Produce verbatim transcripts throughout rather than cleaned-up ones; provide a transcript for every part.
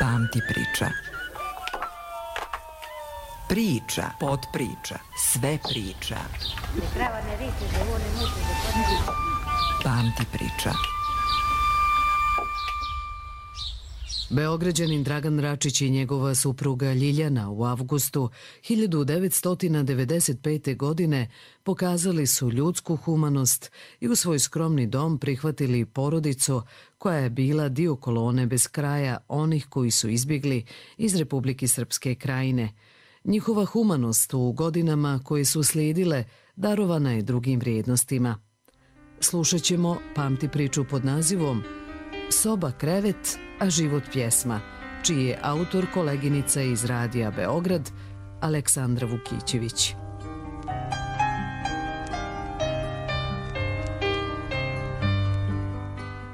Pamti priča. Priča, podpriča, sve priča. Pamti priča. Beograđanin Dragan Račić i njegova supruga Ljiljana u avgustu hiljadu devetsto devedeset pete. godine pokazali su ljudsku humanost i u svoj skromni dom prihvatili porodicu koja je bila dio kolone bez kraja onih koji su izbjegli iz Republike Srpske Krajine. Njihova humanost u godinama koje su slijedile darovana je drugim vrijednostima. Slušat ćemo Pamti priču pod nazivom Soba krevet, a život pjesma, čiji je autor koleginica iz Radija Beograd, Aleksandra Vukićević.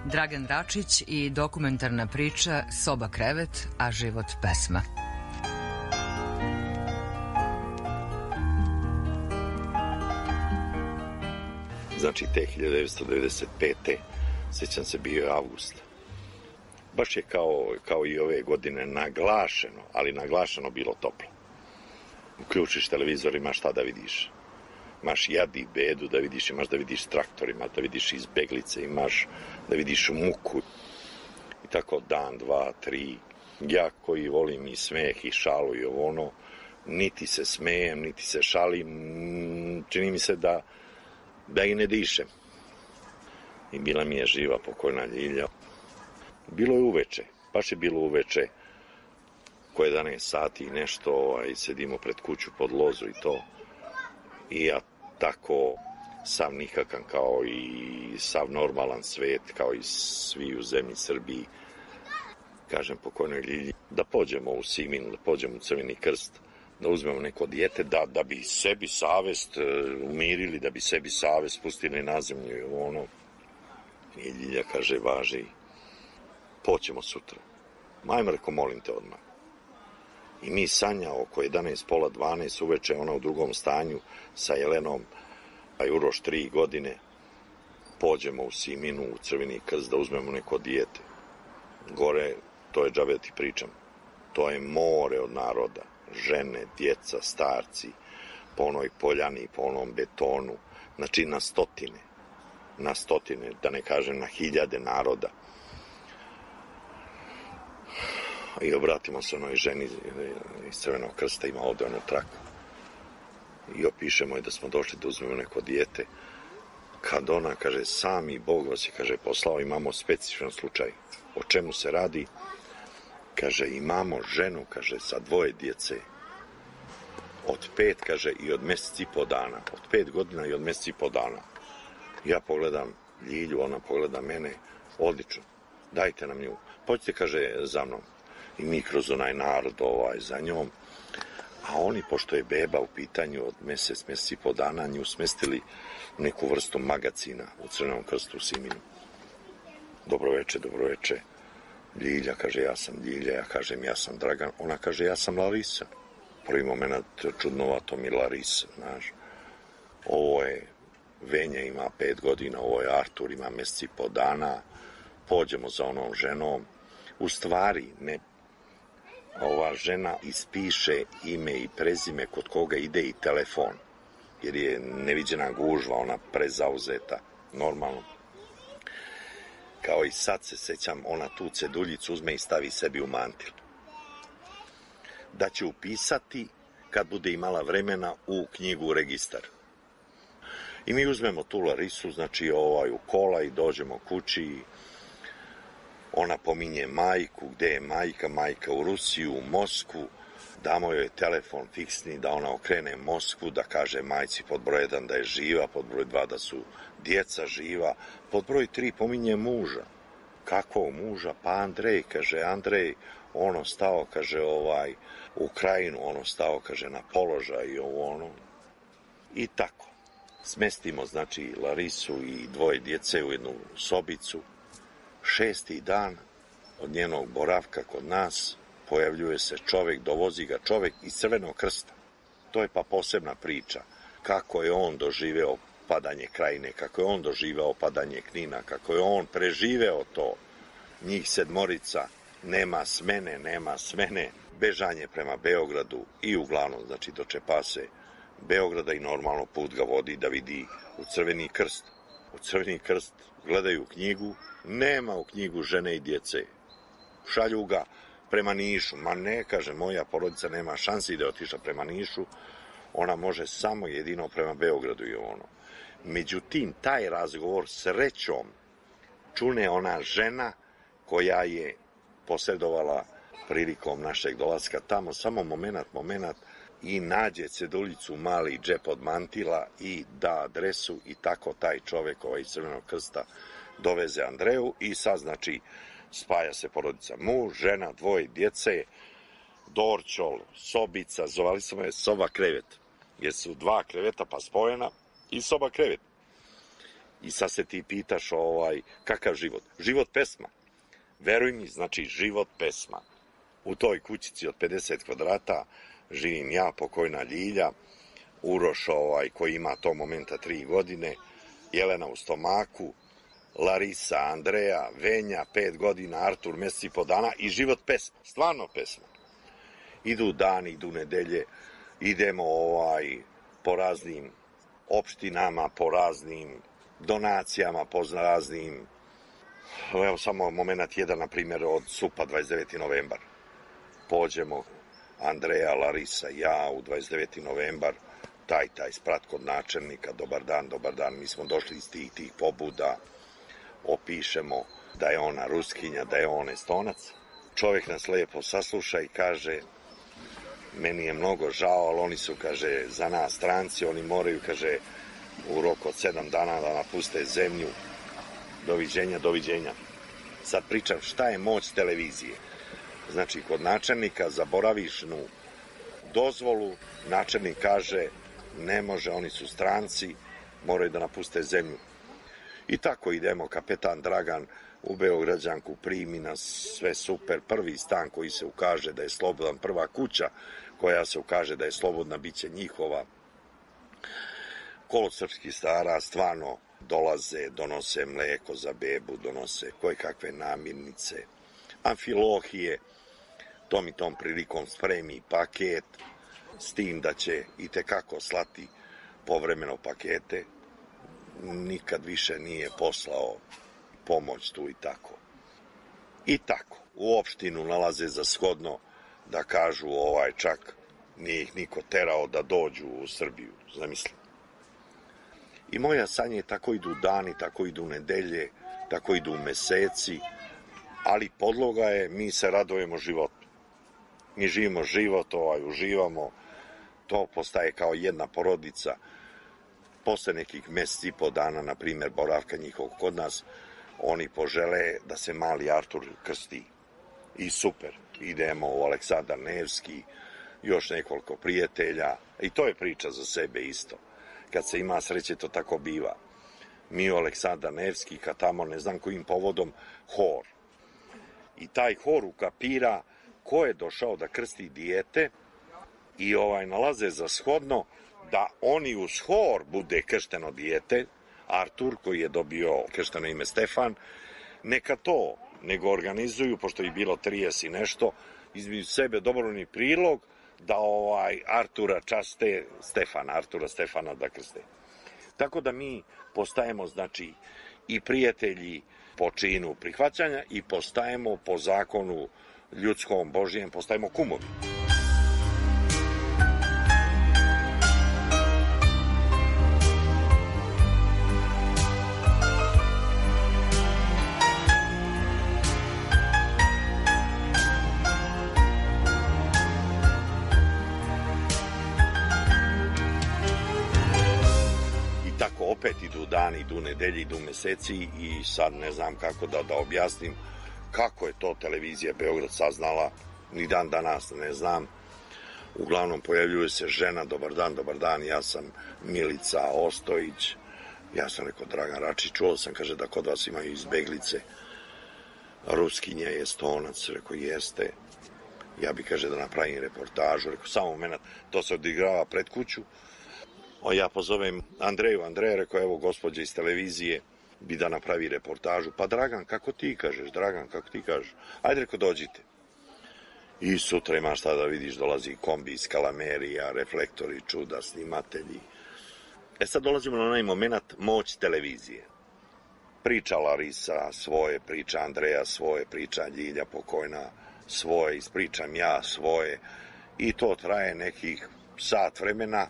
Dragan Račić i dokumentarna priča Soba krevet, a život pesma. Znači, te hiljadu devetsto devedeset pete. sjećam se, bio je avgust. Baš je kao, kao i ove godine naglašeno, ali naglašeno bilo toplo. Uključiš televizor, imaš šta da vidiš. Imaš jad i bedu da vidiš, imaš da vidiš s traktorima, da vidiš izbeglice, imaš da vidiš muku. I tako dan, dva, tri. Ja koji volim i smeh i šalu i ovo ono, niti se smejem, niti se šalim, čini mi se da, da i ne dišem. I bila mi je živa pokojna Ljilja. Bilo je uveče, baš je bilo uveče, ko jedanaest sati i nešto, ovaj, sedimo pred kuću pod lozu i to. I ja tako, sav nikakan kao i sav normalan svet, kao i svi u zemlji Srbiji, kažem pokojnoj Ljilji, da pođemo u Simin, da pođemo u Crveni krst, da uzmemo neko dijete, da, da bi sebi savest umirili, da bi sebi savest pustili na zemlju i ono. I Ljilja kaže, važi, poćemo sutra. Majmo, reko, molim te odmah. I mi Sanja oko jedanaest, pola dvanaest uveče, ona u drugom stanju sa Jelenom, a Uroš tri godine, pođemo u Siminu, u Crveni krst, da uzmemo neko dijete. Gore, to je džabe ti pričam, to je more od naroda, žene, djeca, starci, po onoj poljani, po onom betonu, znači na stotine, na stotine, da ne kažem na hiljade naroda. I obratimo se onoj ženi iz Crvenog krsta, ima ovde onu traku. I opišemo je da smo došli da uzmemo neko dijete. Kad ona kaže, sami Bog vas je, kaže, poslao, imamo specifičan slučaj. O čemu se radi? Kaže, imamo ženu, kaže, sa dvoje djece. Od pet, kaže, i od mjesec i po dana. Od pet godina i od mjesec i po dana. Ja pogledam Ljilju, ona pogleda mene, odlično, dajte nam nju. Pođite, kaže, za mnom. I mi kroz onaj narod ovaj, za njom. A oni, pošto je beba u pitanju od mjesec, mjesec i po dana, nju smestili u neku vrstu magacina u Crvenom krstu u Siminu. Dobroveče, dobroveče. Ljilja, kaže, ja sam Ljilja, ja kažem, ja sam Dragan. Ona kaže, ja sam Larisa. Prvi moment čudnovato mi Larisa, znaš. Ovo je Venja, ima pet godina, ovo je Artur, ima mjesec i po dana. Pođemo za onom ženom. U stvari, ne, ova žena ispiše ime i prezime kod koga ide i telefon, jer je neviđena gužva, ona prezauzeta, normalno. Kao i sad se sećam, ona tu ceduljicu uzme i stavi sebi u mantil. Da će upisati, kad bude imala vremena, u knjigu u registar. I mi uzmemo tu Larisu, znači ovaj, u kola i dođemo kući. Ona pominje majku, gde je majka, majka u Rusiju, u Moskvu. Damo joj telefon fiksni da ona okrene Moskvu, da kaže majci pod broj jedan da je živa, pod broj dva da su djeca živa, pod broj tri pominje muža. Kako muža? Pa Andrej, kaže, Andrej, ono stao, kaže, ovaj, u Krajinu, ono stao, kaže, na položaj i ovo ono. I tako. Smestimo, znači, Larisu i dvoje djece u jednu sobicu. Šesti dan od njenog boravka kod nas pojavljuje se čovjek, dovozi ga čovjek iz Crvenog krsta. To je pa posebna priča. Kako je on doživeo padanje Krajine, kako je on doživeo padanje Knina, kako je on preživeo to. Njih sedmorica nema smene, nema smene, bežanje prema Beogradu i uglavnom, znači, dočepa se Beograda i normalno put ga vodi da vidi u Crveni krst. U Crveni krst gledaju knjigu, nema u knjigu žene i djece. Šalju ga prema Nišu, ma ne, kaže, moja porodica nema šansi da je otišla prema Nišu, ona može samo jedino prema Beogradu i ono. Međutim, taj razgovor srećom čune ona žena koja je posredovala prilikom našeg dolaska tamo, samo moment, moment, i nađe ceduljicu, mali džep od mantila i da adresu i tako taj čovek ovaj iz Crvenog krsta doveze Andreju i sad, znači, spaja se porodica. Muž, žena, dvoje djece, dorćol, sobica, zovali smo je soba krevet, jer su dva kreveta pa spojena i soba krevet. I sad se ti pitaš ovaj, kakav život? Život pesma. Veruj mi, znači život pesma. U toj kućici od pedeset kvadrata živim ja, pokojna Ljilja, Uroš ovaj, koji ima to momenta tri godine, Jelena u stomaku, Larisa, Andreja, Venja, pet godina, Artur, mesec i po dana i život pesma, stvarno pesma. Idu dani, idu nedelje, idemo ovaj, po raznim opštinama, po raznim donacijama, po raznim, evo samo moment jedan, na primjer, od Supa, dvadeset deveti novembar. Pođemo, Andreja, Larisa, ja u dvadeset deveti novembar, taj, taj sprat kod načelnika, dobar dan, dobar dan, mi smo došli iz tih, tih pobuda, opišemo da je ona Ruskinja, da je on Estonac. Čovjek nas lepo sasluša i kaže, meni je mnogo žao, ali oni su, kaže, za nas stranci, oni moraju, kaže, u roku od sedam dana da napuste zemlju. Doviđenja, doviđenja. Sad pričam šta je moć televizije. Znači, kod načelnika zaboravišnu dozvolu, načelnik kaže, ne može, oni su stranci, moraju da napuste zemlju. I tako idemo, kapetan Dragan u Beograđanku primi nas, sve super, prvi stan koji se ukaže da je slobodan, prva kuća koja se ukaže da je slobodna, bit će njihova. Kolo srpskih stara stvarno dolaze, donose mleko za bebu, donose koje kakve namirnice, amfilohije, tom i tom prilikom spremi paket, s tim da će i tekako slati povremeno pakete, nikad više nije poslao pomoć tu i tako. I tako, u opštinu nalaze za shodno da kažu ovaj čak nije ih niko terao da dođu u Srbiju, zamislim. I moja sanje tako idu dani, tako idu nedelje, tako idu meseci, ali podloga je, mi se radujemo životu. Mi živimo život, ovaj, uživamo, to postaje kao jedna porodica. Posle nekih meseci i po dana, na primjer, boravka njihovog kod nas, oni požele da se mali Artur krsti. I super, idemo u Aleksandar Nevski, još nekoliko prijatelja, i to je priča za sebe isto. Kad se ima sreće, to tako biva. Mi u Aleksandar Nevski, kad tamo, ne znam kojim povodom, hor. I taj hor ukapira ko je došao da krsti dijete i ovaj nalaze za shodno da oni uz hor bude kršteno dijete, Artur, koji je dobio kršteno ime Stefan, neka to nego organizuju, pošto je bilo trideset i nešto, između sebe dobrovoljni prilog da ovaj Artura časte Stefana, Artura Stefana da krste. Tako da mi postajemo, znači, i prijatelji po činu prihvaćanja i postajemo po zakonu ljudskom, Božijem, postajemo kumovi. Opet idu dani, idu nedelji, idu meseci i sad ne znam kako da, da objasnim kako je to televizija Beograd saznala, ni dan danas ne znam. Uglavnom pojavljuje se žena, dobar dan, dobar dan, ja sam Milica Ostojić, ja sam rekao Dragan Račić, čuo sam, kaže, da kod vas imaju izbeglice, Ruskinja je Estonac, rekao jeste, ja bi, kaže, da napravim reportažu, rekao samo moment, to se odigrava pred kuću. O, ja pozovem Andreju, Andreja, rekao, evo gospođa iz televizije, bi da napravi reportažu. Pa Dragan, kako ti kažeš? Dragan, kako ti kažeš? Ajde, reko, dođite. I sutra imaš šta da vidiš, dolazi kombi, skalamerija, reflektori, čuda, snimatelji. E sad dolazimo na onaj moment moć televizije. Priča Larisa svoje, priča Andreja svoje, priča Ljilja pokojna svoje, ispričam ja svoje. I to traje nekih sat vremena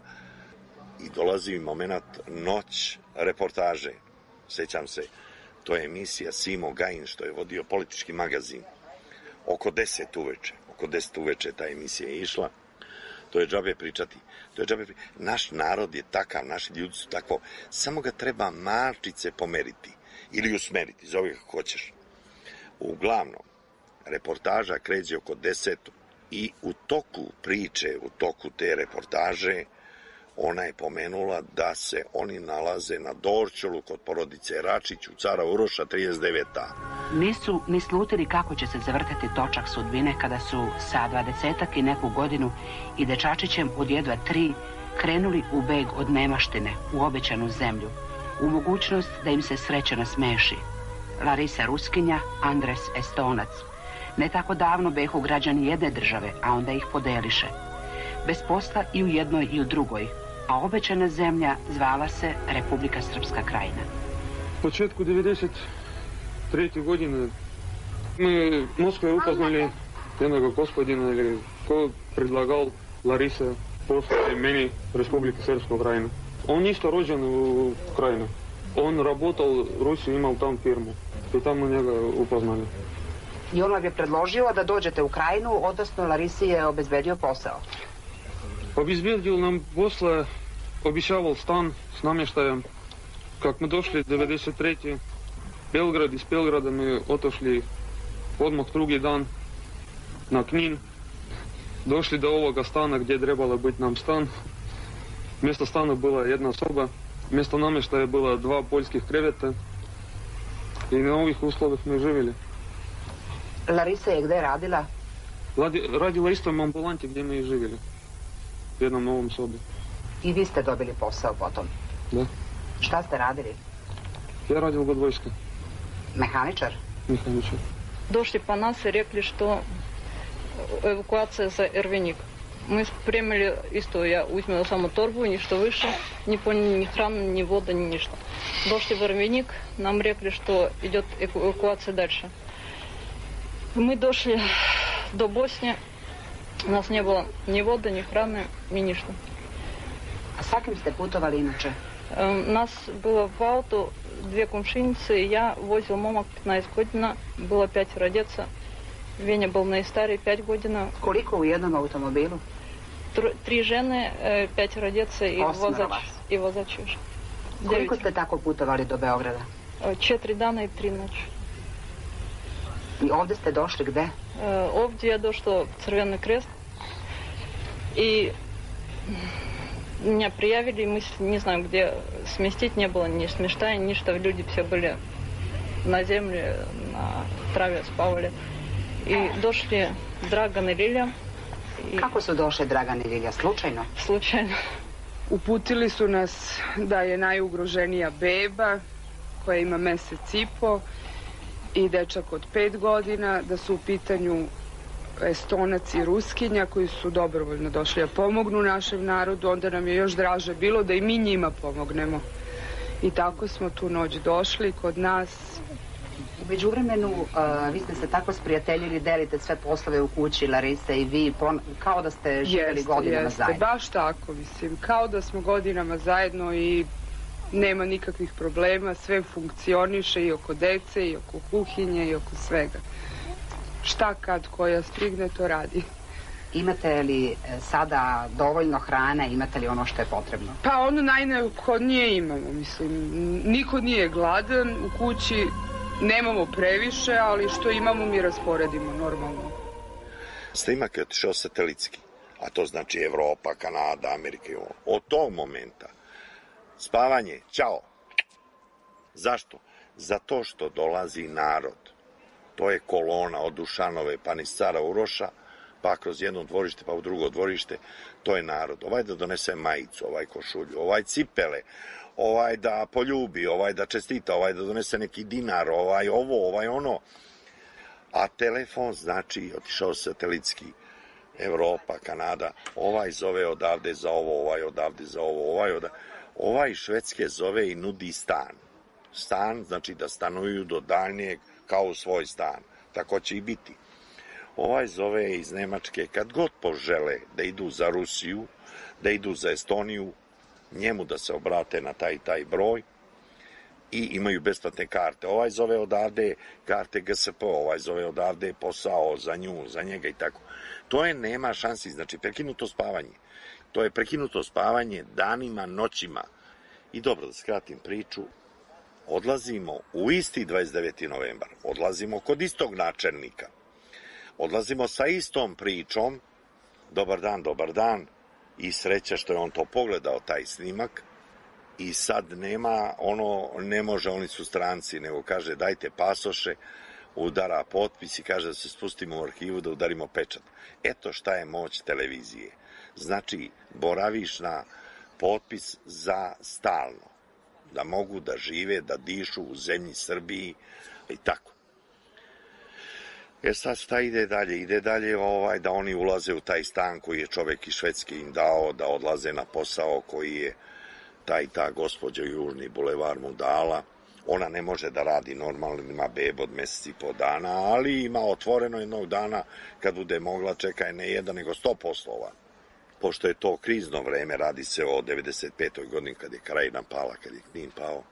i dolazi moment noć reportaže. Sećam se, to je emisija Simo Gajin što je vodio Politički magazin. Oko deset uveče. Oko deset uveče ta emisija je išla. To je džabe pričati. To je džabe pričati. Naš narod je takav, naši ljudi su tako. Samo ga treba malčice pomeriti. Ili usmeriti, zove kako hoćeš. Uglavnom, reportaža kreće oko deset i u toku priče, u toku te reportaže, ona je pomenula da se oni nalaze na Dorćolu kod porodice Račić u Cara Uroša trideset deveta. Nisu ni slutili kako će se zavrtati točak sudbine kada su sa dvadesetak i neku godinu i dečačićem od jedva tri krenuli u beg od nemaštine u obećanu zemlju, u mogućnost da im se sreća nasmeši. Larisa Ruskinja, Andres Estonac. Ne tako davno behu građani jedne države, a onda ih podeliše. Bez posla i u jednoj i u drugoj, a obećana zemlja zvala se Republika Srpska Krajina. U početku devedeset treće godine mi u Moskvi upoznali jednog gospodina koji predlagal Larisa poslati meni Republika Srpska Krajina. On isto rođen u Krajini. On работал u Rusiji, imao tam firmu i tamo njega upoznali. I on vam je predložio da dođete u Krajinu, odnosno Larisi je obezbedio posao. Obezbedio nam posle, obišaval stan s namještajem. Kak mi došli devedeset treće Belgrad, iz Belgrada mi otošli odmah drugi dan na Knin. Došli do ovoga stana gdje je trebalo biti nam stan. Mjesto stana bila jedna soba, mjesto namještaja bila dva poljskih kreveta i na ovih uslovih mi živjeli. Larisa je gde radila? Radi, radila isto u ambulanti gdje mi živjeli. U jednom novom sobi. I vi ste dobili posao potom? Da. Šta ste radili? Ja radil kod vojske. Mehaničar? Mehaničar. Došli по нас и rekli što evakuacija za Ervenik. Мы спремили isto, ja uzmela samo torbu, ništa više, ni poljni, ni hrana, ni voda, ni ništa. Došli в Ervenik, нам rekli što идет эвакуация дальше. Мы дошли до Босни, у нас не было ни воды, ни hrane, ni ništa. A sa kim ste putovali inače? Нас было в auto две komšinice i ja, vozil momak petnaest godina, bilo pětero djeca. Venja был najstariji, pet godina. Koliko u jednom automobilu? Tr, tri žene, pětero djece i vozač, i vozač još. Koliko ste tako putovali do Beograda? Četiri dana i tri noći. I ovdje ste došli gde? Ovdje je došlo Crveni krest i меня приявили, мы не знаем, где сместить, не было ни смешта, ни что, люди все были на земле, на траве спавали. И дошли Dragan i Lilja. I... Kako su došli Dragan i Lilja? Slučajno? Slučajno. Uputili su nas da je najugroženija beba koja ima mesec i po i dečak od pet godina, da su u pitanju Estonac i Ruskinja koji su dobrovoljno došli da pomognu našem narodu. Onda nam je još draže bilo da i mi njima pomognemo. I tako smo tu noć došli kod nas. U međuvremenu, uh, vi ste se tako sprijateljili, delite sve poslove u kući, Larisa i vi, pon, kao da ste živjeli jeste, godinama jeste, zajedno. Baš tako, mislim, kao da smo godinama zajedno i nema nikakvih problema, sve funkcioniše i oko dece, i oko kuhinje, i oko svega. Šta kad koja stigne, to radi. Imate li sada dovoljno hrane, imate li ono što je potrebno? Pa ono najneophodnije imamo, mislim, niko nije gladan u kući. Nemamo previše, ali što imamo mi rasporedimo normalno. Snimak je otišao satelitski, a to znači Evropa, Kanada, Amerika i ovo. Od tog momenta spavanje, ćao. Zašto? Zato što dolazi narod. To je kolona od Dušanove pa niz Cara Uroša, pa kroz jedno dvorište pa u drugo dvorište. To je narod. Ovaj da donese majicu, ovaj košulju, ovaj cipele, ovaj da poljubi, ovaj da čestita, ovaj da donese neki dinar, ovaj ovo, ovaj ono. A telefon, znači, otišao satelitski, Evropa, Kanada, ovaj zove odavde za ovo, ovaj odavde za ovo, ovaj odavde. Ovaj Švedske zove i nudi stan. Stan, znači da stanuju do daljnjeg kao u svoj stan. Tako će i biti. Ovaj zove iz Nemačke, kad god požele da idu za Rusiju, da idu za Estoniju, njemu da se obrate na taj taj broj i imaju besplatne karte. Ovaj zove odavde karte G S P, ovaj zove odavde posao za nju, za njega i tako. To je nema šansi, znači prekinuto spavanje. To je prekinuto spavanje danima, noćima. I dobro, da skratim priču, odlazimo u isti dvadeset deveti novembar, odlazimo kod istog načelnika, odlazimo sa istom pričom, dobar dan, dobar dan, i sreća što je on to pogledao, taj snimak, i sad nema, ono, ne može, oni su stranci, nego kaže dajte pasoše, udara potpis i kaže da se spustimo u arhivu da udarimo pečat. Eto šta je moć televizije. Znači, boraviš na potpis za stalno, da mogu da žive, da dišu u zemlji Srbiji i tako. E sad šta ide dalje? Ide dalje ovaj, da oni ulaze u taj stan koji je čovek iz Švedske im dao, da odlaze na posao koji je taj ta gospođa Južni bulevar mu dala. Ona ne može da radi normalno, ima bebu od meseci i po dana, ali ima otvoreno jednog dana kad bude mogla, čeka je ne jedan nego sto poslova. Pošto je to krizno vreme, radi se o devedeset petoj godini kad je Krajina pala, kad je Knin pao.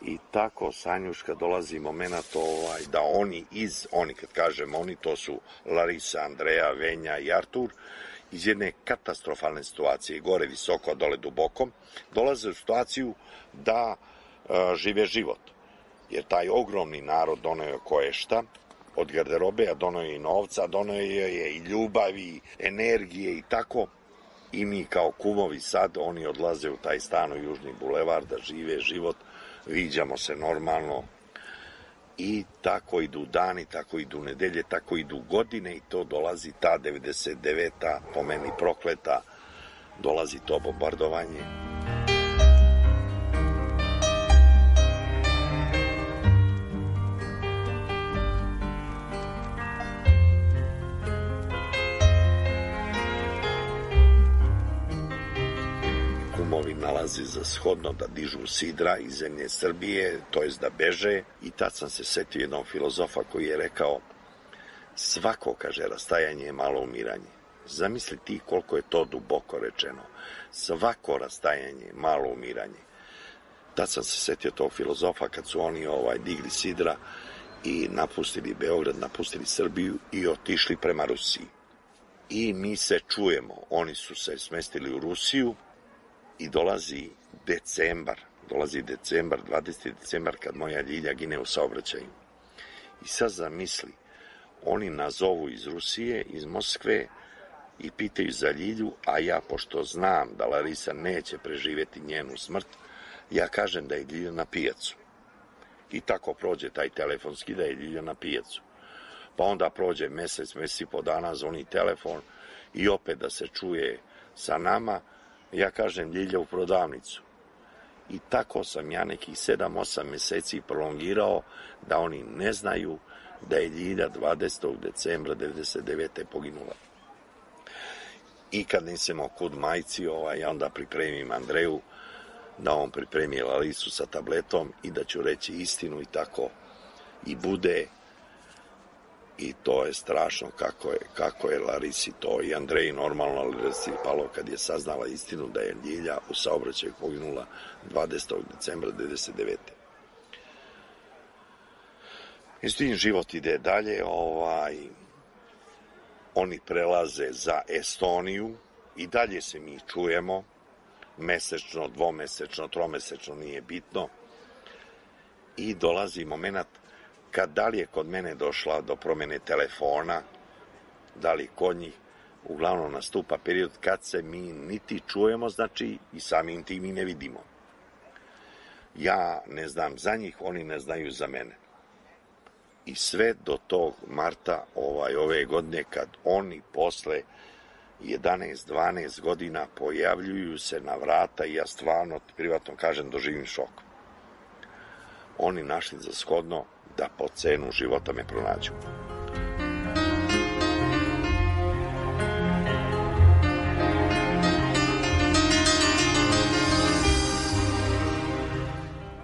I tako, Sanjuška, dolazi moment ovaj, da oni iz, oni kad kažem oni, to su Larisa, Andreja, Venja i Artur, iz jedne katastrofalne situacije, gore visoko, dole duboko, dolaze u situaciju da e, žive život. Jer taj ogromni narod donio je koješta, od garderobe, a donio je i novca, donio je i ljubavi, energije i tako. I mi kao kumovi sad, oni odlaze u taj stan u Južni bulevar da žive život, viđamo se normalno i tako idu dani, tako idu nedelje, tako idu godine i to dolazi ta devedeset deveta, po meni prokleta, dolazi to bombardovanje. Kumovi nalazi za shodno da dižu sidra iz zemlje Srbije, to jest da beže, i tad sam se setio jednog filozofa koji je rekao svako, kaže, rastajanje je malo umiranje. Zamisli ti koliko je to duboko rečeno. Svako rastajanje je malo umiranje. Tad sam se setio tog filozofa kad su oni ovaj digli sidra i napustili Beograd, napustili Srbiju i otišli prema Rusiji. I mi se čujemo, oni su se smestili u Rusiju, i dolazi decembar, dolazi decembar, dvadeseti decembar, kad moja Ljilja gine u saobraćaju. I sad zamisli, oni nazovu iz Rusije, iz Moskve i pitaju za Ljilju, a ja, pošto znam da Larisa neće preživjeti njenu smrt, ja kažem da je Ljilja na pijacu. I tako prođe taj telefonski da je Ljilja na pijacu. Pa onda prođe mesec, mesec i po dana, zvoni telefon i opet da se čuje sa nama. Ja kažem Ljilja u prodavnicu. I tako sam ja nekih sedam osam meseci prolongirao da oni ne znaju da je Ljilja dvadesetog decembra devedeset devete poginula. I kad nisemo kud majci, ovaj, ja onda pripremim Andreju da on pripremi Larisu sa tabletom i da ću reći istinu i tako i bude. I to je strašno kako je, kako je Larisi to i Andreji normalno, ali Larisi palo kad je saznala istinu da je Ljilja u saobraćaju poginula dvadesetog decembra devedeset devete. I s tim život ide dalje, ovaj, oni prelaze za Estoniju i dalje se mi čujemo, mesečno, dvomesečno, tromesečno, nije bitno. I dolazi moment kad da li je kod mene došla do promjene telefona, da li kod njih, uglavnom nastupa period kad se mi niti čujemo, znači i samim tim i ne vidimo. Ja ne znam za njih, oni ne znaju za mene. I sve do tog marta ovaj, ove godine kad oni posle jedanaest dvanaest godina pojavljuju se na vrata i ja stvarno, privatno kažem, doživim šok. Oni našli za shodno da po cenu života me pronađu.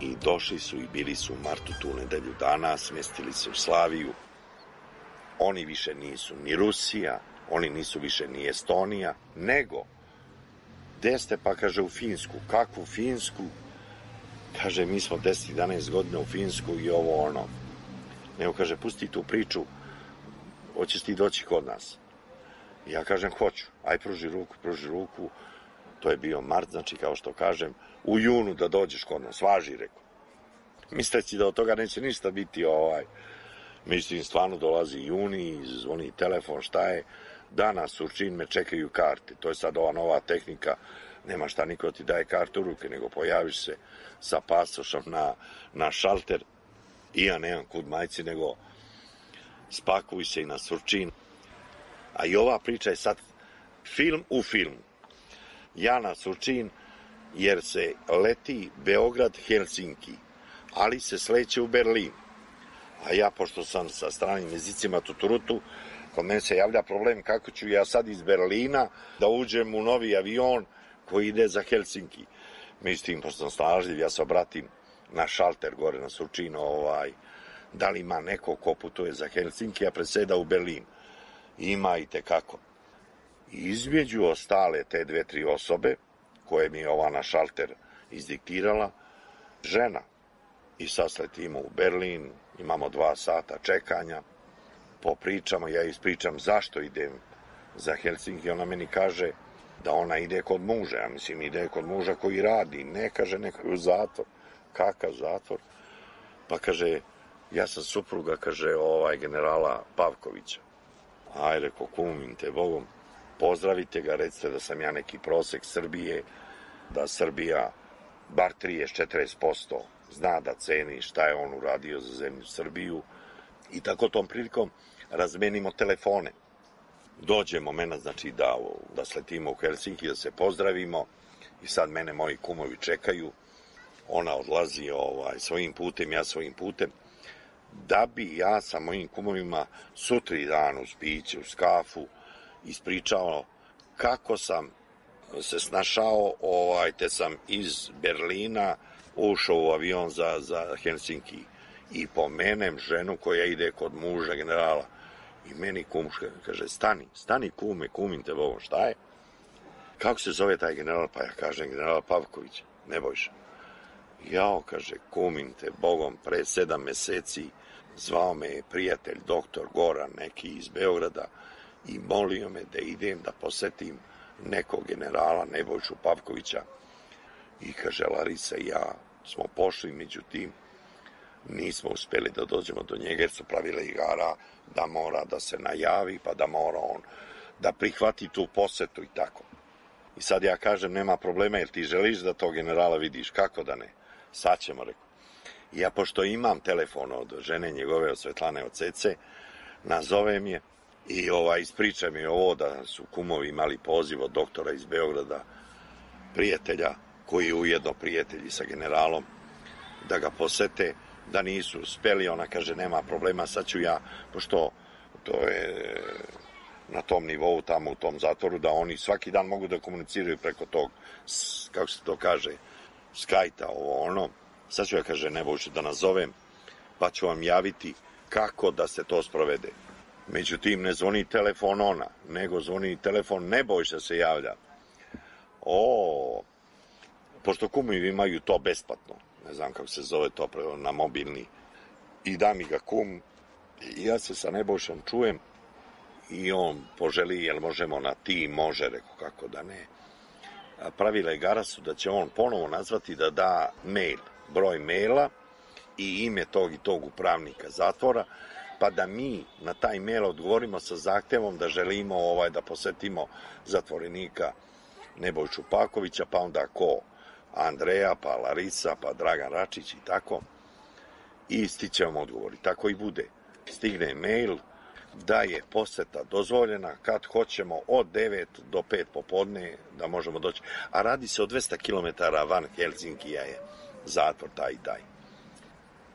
I došli su i bili su u martu tu nedelju dana, smestili se u Slaviju. Oni više nisu ni Rusija, oni nisu više ni Estonija, nego, gde ste, pa kaže, u Finsku. Kakvu Finsku? Kaže, mi smo deset jedanaest godina u Finsku i ovo ono. Nego, kaže, pusti tu priču, hoćeš ti doći kod nas? I ja kažem, hoću. Aj, pruži ruku, pruži ruku. To je bio mart, znači, kao što kažem, u junu da dođeš kod nas. Važi, rekao. Misleći da od toga neće ništa biti, ovaj. Mislim, stvarno dolazi juni, zvoni telefon, šta je, danas Surčin me čekaju karte, to je sad ova nova tehnika, nema šta niko ti daje kartu u ruke, nego pojaviš se sa pasošom na, na šalter i ja nemam kud majci, nego spakuj se i na Surčin. A i ova priča je sad film u filmu. Ja na Surčin, jer se leti Beograd-Helsinki, ali se sleće u Berlin. A ja, pošto sam sa stranim jezicima tuturutu, kod mene se javlja problem kako ću ja sad iz Berlina da uđem u novi avion koji ide za Helsinki. Mislim, pošto sam snažljiv, ja se obratim na šalter gore na Surčinu, ovaj, da li ima neko ko putuje za Helsinki, a preseda u Berlin. Ima i tekako. Između ostale te dve, tri osobe, koje mi je ova na šalter izdiktirala, žena. I sad sletimo u Berlin, imamo dva sata čekanja, popričamo, ja ispričam zašto idem za Helsinki, ona meni kaže da ona ide kod muža, ja mislim ide kod muža koji radi, ne kaže neko u zatvor, kakav zatvor, pa kaže, ja sam supruga, kaže, ovaj generala Pavkovića. Aj, reko, kumim te Bogom, pozdravite ga, recite da sam ja neki prosek Srbije, da Srbija bar trideset do četrdeset posto zna da ceni šta je on uradio za zemlju Srbiju i tako tom prilikom razmenimo telefone. Dođe moment, znači, da, da sletimo u Helsinki, da se pozdravimo i sad mene moji kumovi čekaju. Ona odlazi ovaj, svojim putem, ja svojim putem, da bi ja sa mojim kumovima sutri dan uz piće, uz kafu ispričao kako sam se snašao, ovaj, te sam iz Berlina ušao u avion za, za Helsinki i pomenem ženu koja ide kod muža generala i meni kumška kaže, stani, stani kume, kumim te Bogom, šta je? Kako se zove taj general? Pa ja kažem, general Pavković, Nebojša. Jao, kaže, kumim te Bogom, pre sedam meseci zvao me je prijatelj, doktor Goran, neki iz Beograda, i molio me da idem da posetim nekog generala Nebojšu Pavkovića. I kaže, Larisa i ja smo pošli, međutim, nismo uspeli da dođemo do njega, jer su pravile igara da mora da se najavi, pa da mora on da prihvati tu posetu i tako. I sad ja kažem, nema problema, jer ti želiš da tog generala vidiš, kako da ne? Sad ćemo, rekao. I ja, pošto imam telefon od žene njegove, od Svetlane, od Cece, nazovem je i ovaj, ispričam je ovo da su kumovi imali poziv od doktora iz Beograda, prijatelja, koji je ujedno prijatelji sa generalom, da ga posete, da nisu uspeli. Ona kaže, nema problema, sad ću ja, pošto to je na tom nivou tamo u tom zatvoru, da oni svaki dan mogu da komuniciraju preko tog, kako se to kaže, skajta, ovo ono. Sad ću ja, kaže, Nebojšu da nazovem, pa ću vam javiti kako da se to sprovede. Međutim, ne zvoni telefon ona, nego zvoni telefon Nebojša se javlja. O, pošto kumovi imaju to besplatno, ne znam kako se zove to na mobilni, i da mi ga kum, i ja se sa Nebojšom čujem i on poželi, jel možemo na ti, može, reko, kako da ne. Pravila igara su da će on ponovo nazvati da da mail, broj maila i ime tog i tog upravnika zatvora, pa da mi na taj mail odgovorimo sa zahtevom da želimo ovaj da posetimo zatvorenika Nebojšu Pavkovića, pa onda ko Andreja, pa Larisa, pa Dragan Račić i tako. I stićemo odgovori. Tako i bude. Stigne mail, da je poseta dozvoljena kad hoćemo od devet do pet popodne da možemo doći. A radi se o dvesta kilometara van Helsinkija je zatvor taj i taj.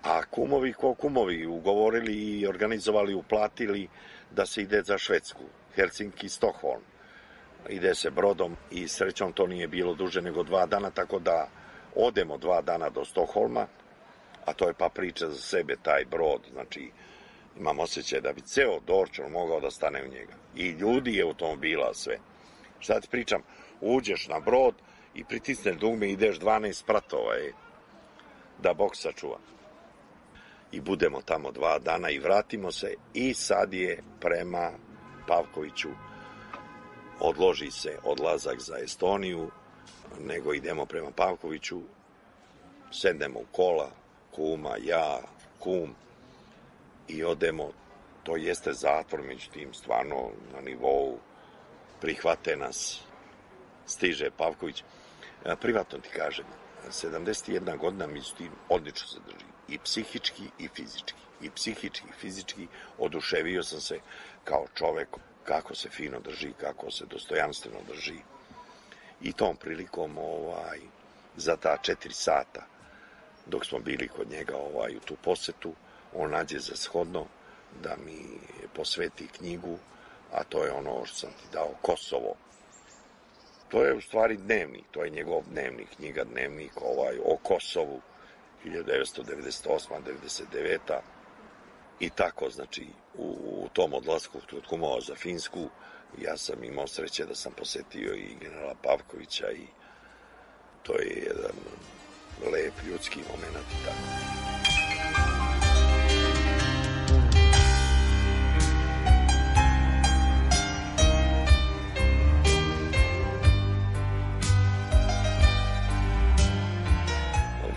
A kumovi ko kumovi ugovorili i organizovali, uplatili da se ide za Švedsku, Helsinki, Stockholm. Ide se brodom i srećom to nije bilo duže nego dva dana, tako da odemo dva dana do Stockholma, a to je pa priča za sebe taj brod, znači imam osjećaj da bi ceo Dorčon mogao da stane u njega. I ljudi i automobila, sve. Šta ti pričam, uđeš na brod i pritisneš dugme i ideš dvanaest spratova, je, da Bog sačuva. I budemo tamo dva dana i vratimo se i sad je prema Pavkoviću, odloži se odlazak za Estoniju, nego idemo prema Pavkoviću, sednemo u kola, kuma, ja, kum, i odemo, to jeste zatvor, međutim, stvarno na nivou prihvate nas, stiže Pavković. Privatno ti kažem, sedamdeset jedna godina, međutim, odlično se drži, i psihički i fizički, i psihički i fizički, oduševio sam se kao čovek, kako se fino drži, kako se dostojanstveno drži. I tom prilikom, ovaj, za ta četiri sata, dok smo bili kod njega ovaj, u tu posetu, on nađe za shodno da mi posveti knjigu, a to je ono što sam ti dao, Kosovo. To je u stvari dnevnik, to je njegov dnevnik, knjiga dnevnik ovaj, o Kosovu, hiljadu devetsto devedeset osma do devedeset deveta I tako, znači, u, u tom odlasku od kumova za Finsku, ja sam imao sreće da sam posetio i generala Pavkovića i to je jedan lep ljudski moment i tako.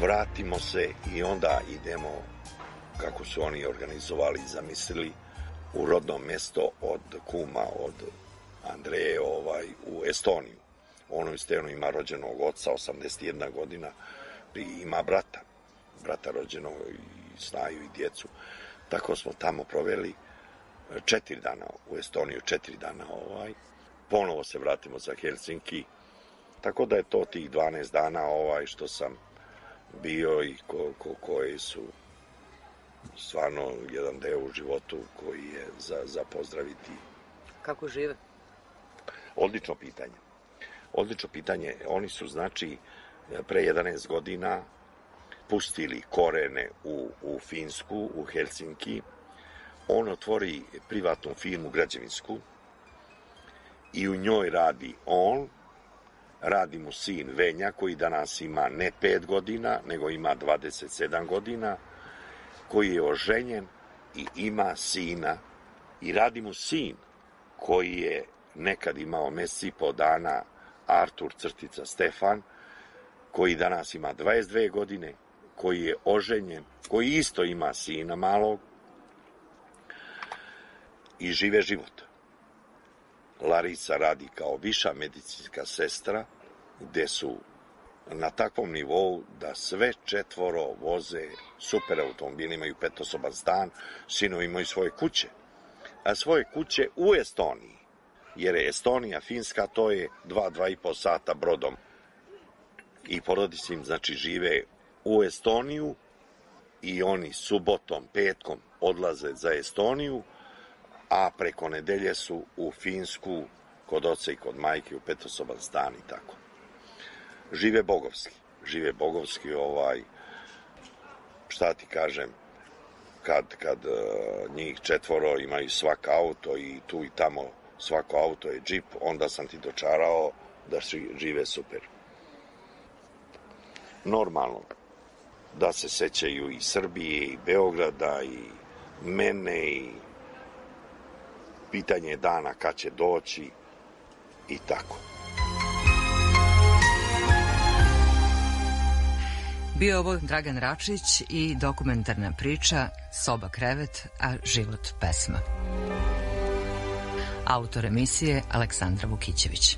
Vratimo se i onda idemo, kako su oni organizovali i zamislili, u rodno mesto od kuma, od Andreje, ovaj, u Estoniju. Ono isteno ima rođenog oca, osamdeset jedna godina, i ima brata, brata rođenog i snaju i djecu. Tako smo tamo proveli četiri dana u Estoniju, četiri dana ovaj. Ponovo se vratimo za Helsinki, tako da je to tih dvanaest dana ovaj što sam bio i ko, ko, koji su stvarno jedan deo u životu koji je za, za pozdraviti. Kako žive? Odlično pitanje. Odlično pitanje. Oni su, znači, pre jedanaest godina pustili korene u, u Finsku, u Helsinki. On otvori privatnu firmu građevinsku i u njoj radi on, radi mu sin Venja, koji danas ima ne pet godina, nego ima dvadeset sedam godina, koji je oženjen i ima sina, i radi mu sin koji je nekad imao mesec i po dana, Artur crtica Stefan, koji danas ima dvadeset dve godine, koji je oženjen, koji isto ima sina malog i žive život. Larisa radi kao viša medicinska sestra, gde su na takvom nivou da sve četvoro voze super automobili, imaju petosoban stan, sinovi imaju svoje kuće, a svoje kuće u Estoniji, jer je Estonija, Finska, to je dva, dva i po sata brodom. I porodice im, znači, žive u Estoniju i oni subotom, petkom odlaze za Estoniju, a preko nedelje su u Finsku, kod oca i kod majke, u petosoban stan i tako. Žive bogovski, žive bogovski, ovaj, šta ti kažem, kad, kad uh, njih četvoro imaju svak auto i tu i tamo svako auto je džip, onda sam ti dočarao da žive super. Normalno, da se sećaju i Srbije, i Beograda, i mene, i pitanje dana kad će doći, i tako. Bio ovo Dragan Račić i dokumentarna priča Soba krevet, a život pesma. Autor emisije Aleksandra Vukićević.